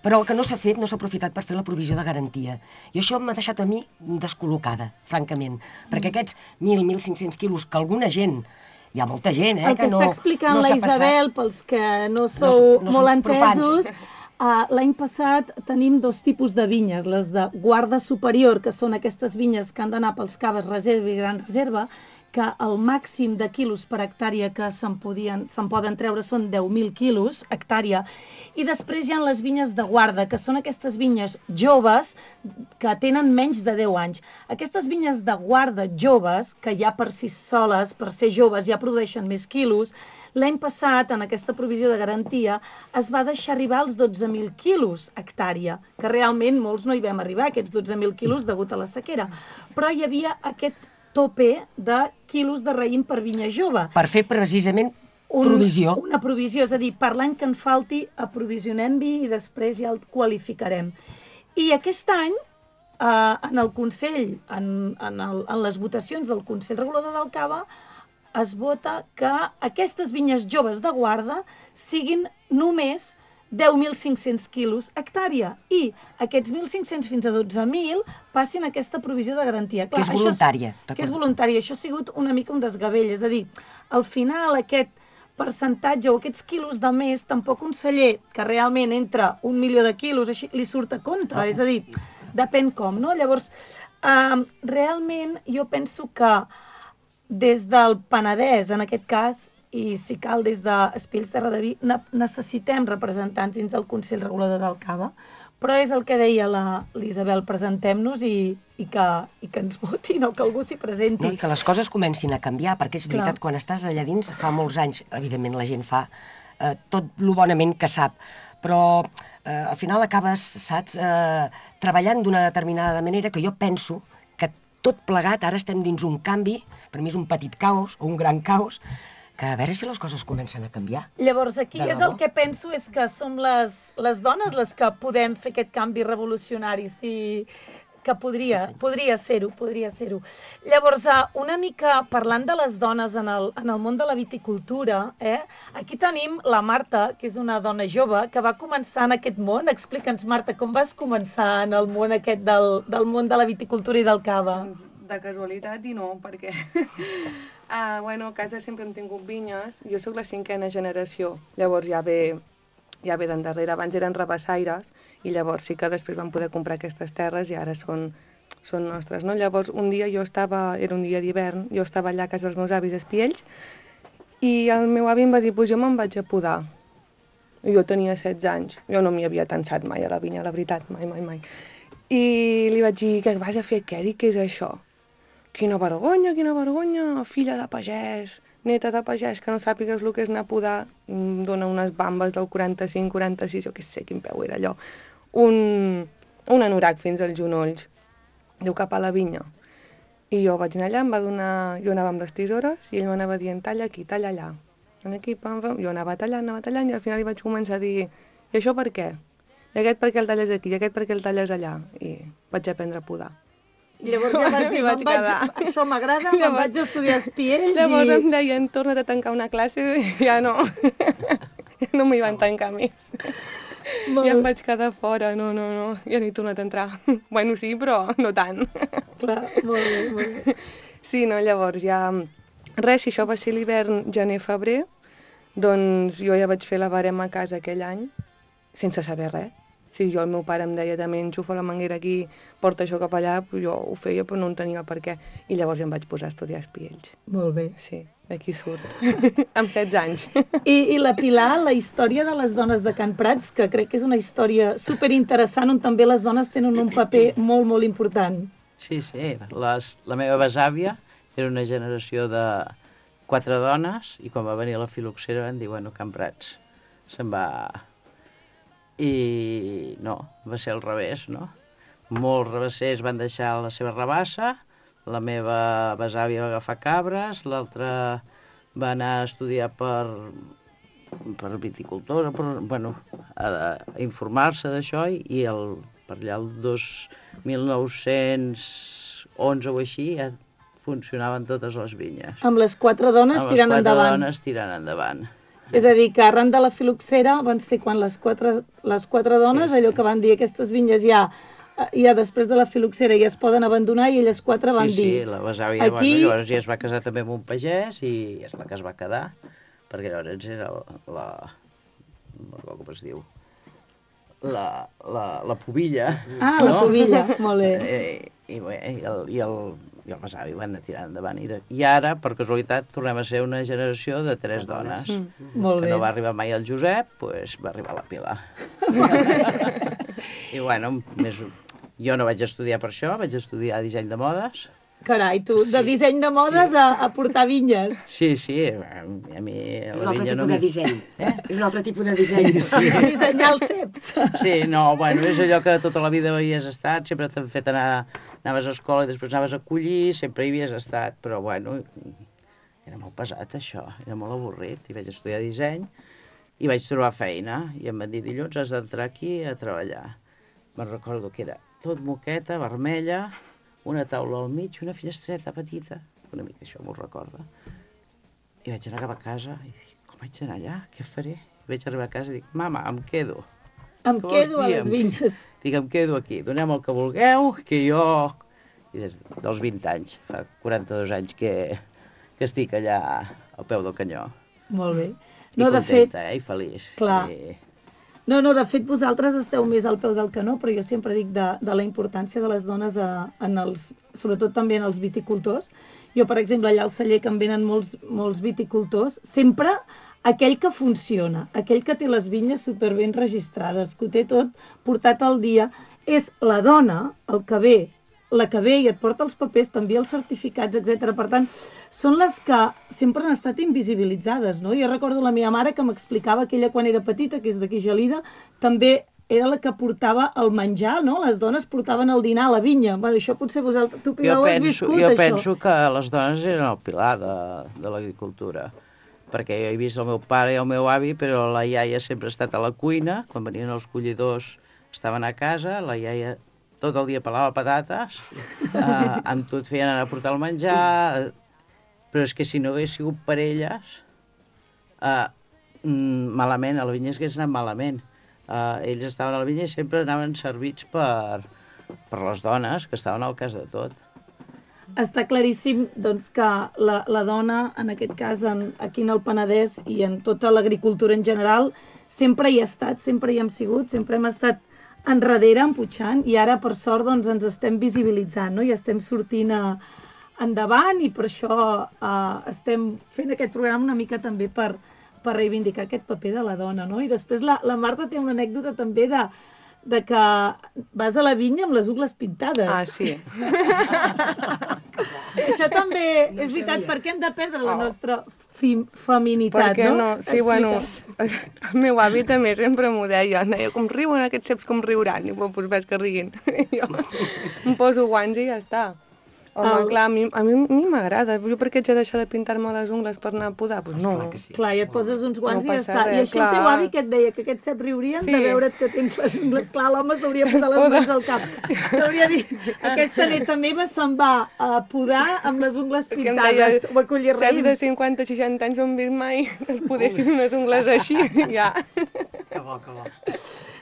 Però el que no s'ha fet, no s'ha aprofitat per fer la provisió de garantia. I això m'ha deixat a mi descol·locada, francament, perquè aquests 1.000-1.500 quilos que alguna gent, hi ha molta gent, que no s'ha passat. El que està explicant la Isabel, pels que no sou molt entesos, l'any passat tenim dos tipus de vinyes, les de guarda superior, que són aquestes vinyes que han d'anar pels caves reserva i gran reserva, que el màxim de quilos per hectàrea que se'n poden treure són 10.000 quilos hectàrea, i després hi ha les vinyes de guarda, que són aquestes vinyes joves que tenen menys de 10 anys. Aquestes vinyes de guarda joves, que ja per si soles, per ser joves, ja produeixen més quilos, l'any passat, en aquesta provisió de garantia, es va deixar arribar als 12.000 quilos hectàrea, que realment molts no hi vam arribar, aquests 12.000 quilos degut a la sequera, però hi havia aquest tope de quilos de raïm per vinya jove. Per fer precisament provisió. Una provisió, és a dir, per l'any que en falti, aprovisionem-hi i després ja el qualificarem. I aquest any, en el Consell, en les votacions del Consell Regulador del Cava, es vota que aquestes vinyes joves de guarda siguin només 10.500 quilos hectàrea i aquests 1.500 fins a 12.000 passin aquesta provisió de garantia. Que és voluntària. Que és voluntària. Això ha sigut una mica un desgavell. És a dir, al final aquest percentatge o aquests quilos de més, tampoc un celler que realment entra 1 milió de quilos, així li surt a compte, és a dir, depèn com, no? Llavors, realment jo penso que des del Penedès, en aquest cas, i si cal des d'Espills Terra de Vi, necessitem representants dins del Consell Regulador del Cava, però és el que deia l'Isabel, presentem-nos i que ens votin o que algú s'hi presenti. No, i que les coses comencin a canviar, perquè és veritat, quan estàs allà dins, fa molts anys, evidentment la gent fa tot lo bonament que sap, però al final acabes, saps, treballant d'una determinada manera que jo penso que tot plegat, ara estem dins un canvi, per mi és un petit caos o un gran caos, que a veure si les coses comencen a canviar. Llavors aquí és el que penso, és que som les dones les que podem fer aquest canvi revolucionari, que podria ser-ho. Llavors, una mica parlant de les dones en el món de la viticultura, aquí tenim la Marta, que és una dona jove, que va començar en aquest món. Explica'ns, Marta, com vas començar en el món aquest del món de la viticultura i del cava? De casualitat i no, perquè bueno, a casa sempre hem tingut vinyes. Jo sóc la 5a generació, llavors ja ve d'endarrere. Abans eren rabassaires i llavors sí que després van poder comprar aquestes terres i ara són nostres, no? Llavors un dia era un dia d'hivern, jo estava allà a casa dels meus avis a Espiells i el meu avi em va dir, pues jo me'n vaig a podar. I jo tenia 16 anys, jo no m'hi havia tensat mai a la vinya, la veritat, mai. I li vaig dir, què vas a fer què? Dic, què és això? Quina vergonya, filla de pagès, neta de pagès, que no sàpigues el que és anar a podar, em dona unes bambes del 45, 46, jo què sé quin peu era allò, un anorac fins als genolls, diu cap a la vinya. I jo vaig anar allà, jo anava amb les tisores i ell m'anava dient, talla aquí, talla allà. Aquí, pam, jo anava tallant i al final li vaig començar a dir, i això per què? I aquest per què el talles aquí, i aquest per què el talles allà? I vaig aprendre a podar. I llavors ja vas dir, això m'agrada, me'n vaig estudiar a Espiells. Llavors em deien, torna't a tancar una classe, i ja no m'hi van tancar més. Ja em vaig quedar fora, no, ja no he tornat a entrar. Bueno, sí, però no tant. Clar, molt bé. Sí, no, llavors ja... Res, si això va ser l'hivern gener-febrer, doncs jo ja vaig fer la barema a casa aquell any, sense saber res. Si el meu pare em deia també enxufa la manguera aquí, porta això cap allà, jo ho feia però no en tenia per què. I llavors ja em vaig posar a estudiar a Espiells. Molt bé. Sí, d'aquí surt. Amb 16 anys. I la Pilar, la història de les dones de Can Prats, que crec que és una història superinteressant on també les dones tenen un paper molt, molt important. Sí. La meva besàvia era una generació de 4 dones i quan va venir la filoxera van dir, bueno, Can Prats se'n va... I no, va ser al revés, no? Molts rabassers van deixar la seva rabassa, la meva besàvia va agafar cabres, l'altra va anar a estudiar per viticultora, a informar-se d'això, i per allà el 1911 o així ja funcionaven totes les vinyes. Amb les 4 dones tirant endavant. Amb les 4 dones tirant endavant. És a dir, que arran de la filoxera van ser quan les quatre dones, allò que van dir, aquestes vinyes ja després de la filoxera ja es poden abandonar, i elles 4 van dir... Sí, la besàvia, llavors ja es va casar també amb un pagès i és la que es va quedar, perquè llavors era no recordo com es diu, la pubilla. Ah, no? La pubilla, molt bé. I el besavi van anar tirant endavant. I ara, per casualitat, tornem a ser una generació de 3 dones. Molt bé. Que no va arribar mai el Josep, doncs va arribar la Pilar. I bueno, jo no vaig estudiar per això, vaig estudiar disseny de modes. Carai, tu, de disseny de modes a portar vinyes. Sí, a mi la vinya no... És un altre tipus de disseny. És un altre tipus de disseny. Dissenyar els ceps. Sí, no, bueno, és allò que tota la vida havies estat, sempre t'han fet anaves a escola i després anaves a collir, sempre hi havies estat, però bueno, era molt pesat això, era molt avorrit, i vaig estudiar disseny i vaig trobar feina, i em van dir, dilluns has d'entrar aquí a treballar. Me'n recordo que era tot moqueta, vermella, una taula al mig, una finestreta petita, una mica això m'ho recorda. I vaig anar cap a casa i dic, com vaig anar allà? Què faré? I vaig arribar a casa i dic, mama, em quedo. Em quedo a les vinyes. Dic, em quedo aquí, doneu el que vulgueu, que jo... I des dels 20 anys, fa 42 anys que estic allà al peu del canyó. Molt bé. I contenta, i feliç. Clar. No, de fet, vosaltres esteu més al peu del canó, però jo sempre dic de la importància de les dones sobretot també en els viticultors. Jo, per exemple, allà al celler que em venen molts viticultors, sempre aquell que funciona, aquell que té les vinyes superben registrades, que ho té tot portat al dia, és la dona, la que ve i et porta els papers, t'envia els certificats, etc. Per tant, són les que sempre han estat invisibilitzades, no? Jo recordo la meva mare que m'explicava que ella quan era petita, que és d'aquí Gelida, també era la que portava el menjar, no? Les dones portaven el dinar a la vinya. Bueno, això potser vosaltres, tu, Pilar, ho has viscut, això? Jo penso que les dones eren el pilar de l'agricultura, perquè jo he vist el meu pare i el meu avi, però la iaia sempre ha estat a la cuina, quan venien els collidors estaven a casa, la iaia tot el dia pelava patates, amb tu et feien anar a portar el menjar, però és que si no hagués sigut per elles, malament, a la vinya hagués anat malament. Ells estaven a la vinya i sempre anaven servits per les dones, que estaven al cas de tot. Està claríssim doncs, que la dona, en aquest cas aquí en el Penedès i en tota l'agricultura en general, sempre hi ha estat, sempre hi hem sigut, sempre hem estat enrere, empujant, i ara, per sort, doncs, ens estem visibilitzant, no? I estem sortint endavant, i per això estem fent aquest programa una mica també per reivindicar aquest paper de la dona, no? I després la Marta té una anècdota també de que vas a la vinya amb les ungles pintades. Ah, sí. Això també és veritat, perquè hem de perdre la nostra feminitat, perquè no? Sí, bueno, el meu avi també sempre m'ho deia, com riuen aquests ceps, com riuran, i doncs ves que riguin. Jo em poso guants i ja està. Home, clar, a mi m'agrada. Jo per què haig de deixar de pintar-me les ungles per anar a podar? Doncs no. Clar, i et poses uns guants i ja està. I així el teu avi que et deia que aquests ceps riurien de veure't que tens les ungles. Clar, l'home s'hauria posar les mans al cap. T'hauria dit, aquesta neta meva se'n va a podar amb les ungles pintades o a collir raïms. Ceps de 50-60 anys no hem vist mai es podessin unes ungles així, ja. Que bo, que bo.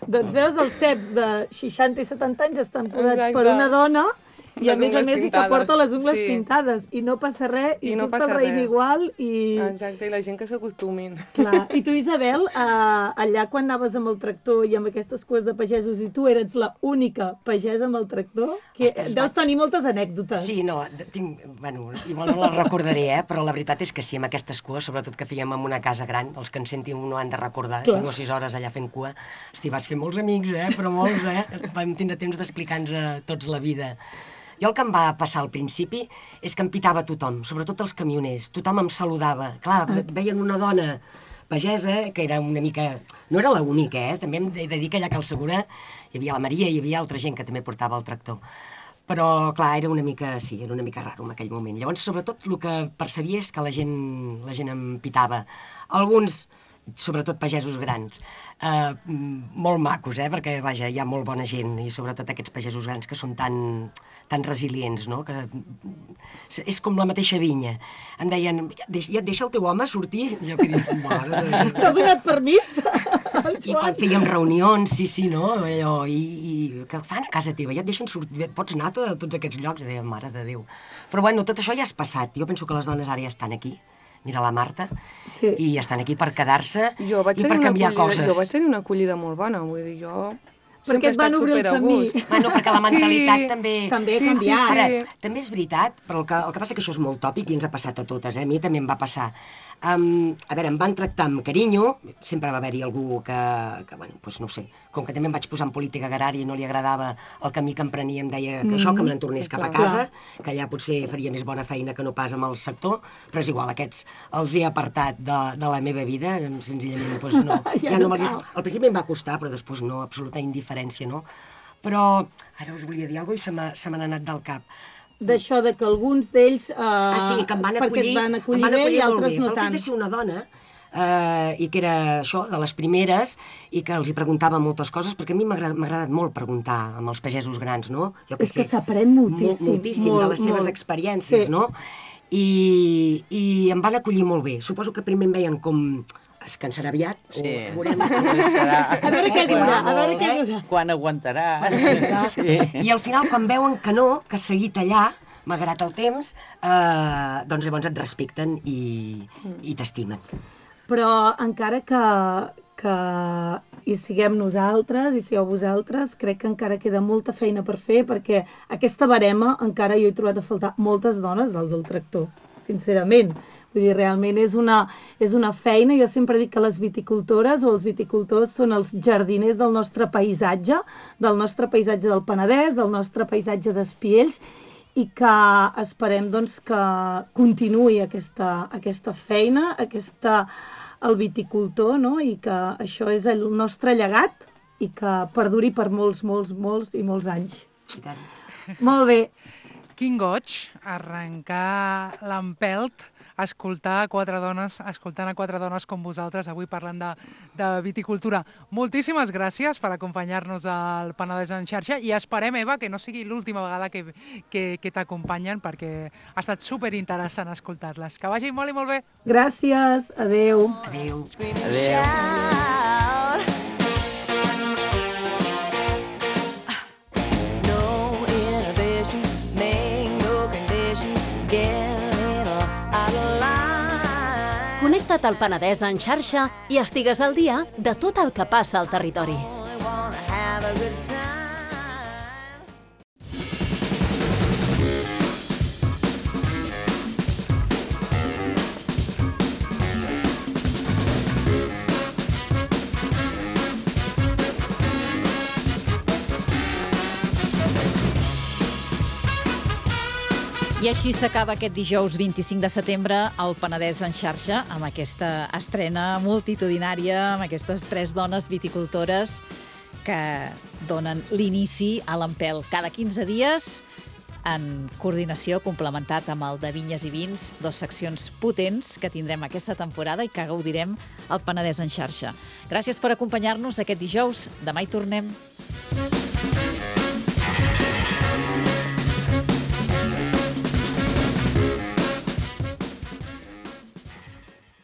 Doncs veus, els ceps de 60 i 70 anys estan podats per una dona i a més que porta les ungles pintades i no passa res i surt el raïm igual i... Exacte, i la gent que s'acostumin. Clar. I tu, Isabel, allà quan anaves amb el tractor i amb aquestes cues de pagesos i tu eres la única pagesa amb el tractor, que deus tenir moltes anècdotes. Sí, no, bueno, igual no les recordaré, però la veritat és que sí, amb aquestes cues, sobretot que fèiem en una casa gran, els que en sentin no han de recordar, 5 o 6 hores allà fent cua. Hosti, vas fer molts amics, però molts, vam tindre temps d'explicar-nos a tots la vida. Jo el que em va passar al principi és que em pitava tothom, sobretot els camioners. Tothom em saludava. Clar, veien una dona pagesa, que era una mica... No era l'única, també hem de dir que allà a Cal Segura hi havia la Maria i hi havia altra gent que també portava el tractor. Però, clar, era una mica raro en aquell moment. Llavors, sobretot, el que percebia és que la gent em pitava. Alguns, sobretot pagesos grans, molt macos, perquè, vaja, hi ha molt bona gent, i sobretot aquests pagesos grans que són tan resilients, no? Que és com la mateixa vinya. Em deien, ja et deixa el teu home sortir? Jo que dic, mare... T'ha donat permís? I quan fèiem reunions, sí, no? Allò, i què fan a casa teva? Ja et deixen sortir, pots anar a tots aquests llocs? Deia, mare de Déu. Però bueno, tot això ja és passat. Jo penso que les dones ara ja estan aquí. Mira la Marta, i estan aquí per quedar-se i per canviar coses. Jo vaig tenir una acollida molt bona, vull dir, jo... Perquè et van obrir el camí. Bueno, perquè la mentalitat també... També ha canviat. Ara, també és veritat, però el que passa que això és molt tòpic i ens ha passat a totes, a mi també em va passar. A veure, em van tractar amb carinyo, sempre va haver-hi algú que, bueno, doncs no sé, com que també em vaig posar en política agrària i no li agradava el camí que em prenia, em deia que això, que me n'entornés cap a casa, que allà potser faria més bona feina que no pas amb el sector, però és igual, aquests els he apartat de la meva vida, senzillament, doncs no. Al principi em va costar, però després no, absoluta indiferència, no? Però ara us volia dir alguna cosa i se m'ha anat del cap. D'això, que alguns d'ells... sí, que em van acollir bé i altres no tant. Pel fet de ser una dona, i que era això, de les primeres, i que els hi preguntava moltes coses, perquè a mi m'ha agradat molt preguntar amb els pagesos grans, no? És que s'aprèn moltíssim. Moltíssim de les seves experiències, no? I em van acollir molt bé. Suposo que primer em veien com... es cansarà aviat, o veurem... A veure què durà, Quan aguantarà. I al final, quan veuen que no, que has seguit allà, malgrat el temps, doncs llavors et respecten i t'estimen. però encara que hi siguem nosaltres, hi sigueu vosaltres, crec que encara queda molta feina per fer, perquè aquesta barema encara jo he trobat a faltar moltes dones del tractor, sincerament. Vull dir, realment és una feina. Jo sempre dic que les viticultores o els viticultors són els jardiners del nostre paisatge del Penedès, del nostre paisatge d'Espiells, i que esperem doncs, que continuï aquesta feina, el viticultor, no? I que això és el nostre llegat i que perduri per molts, molts, molts i molts anys. I tant. Molt bé. Quin goig arrencar l'empelt, escoltant a quatre dones com vosaltres avui parlant de viticultura. Moltíssimes gràcies per acompanyar-nos al Penedès en xarxa i esperem, Eva, que no sigui l'última vegada que t'acompanyen, perquè ha estat superinteressant escoltar-les. Que vagi molt i molt bé. Gràcies. Adéu. Adéu. Connecta't al Penedès en xarxa i estigues al dia de tot el que passa al territori. I així s'acaba aquest dijous 25 de setembre al Penedès en xarxa, amb aquesta estrena multitudinària, amb aquestes 3 dones viticultores que donen l'inici a l'Empelt. Cada 15 dies, en coordinació, complementat amb el de Vinyes i Vins, 2 seccions potents que tindrem aquesta temporada i que gaudirem al Penedès en xarxa. Gràcies per acompanyar-nos aquest dijous. Demà hi tornem.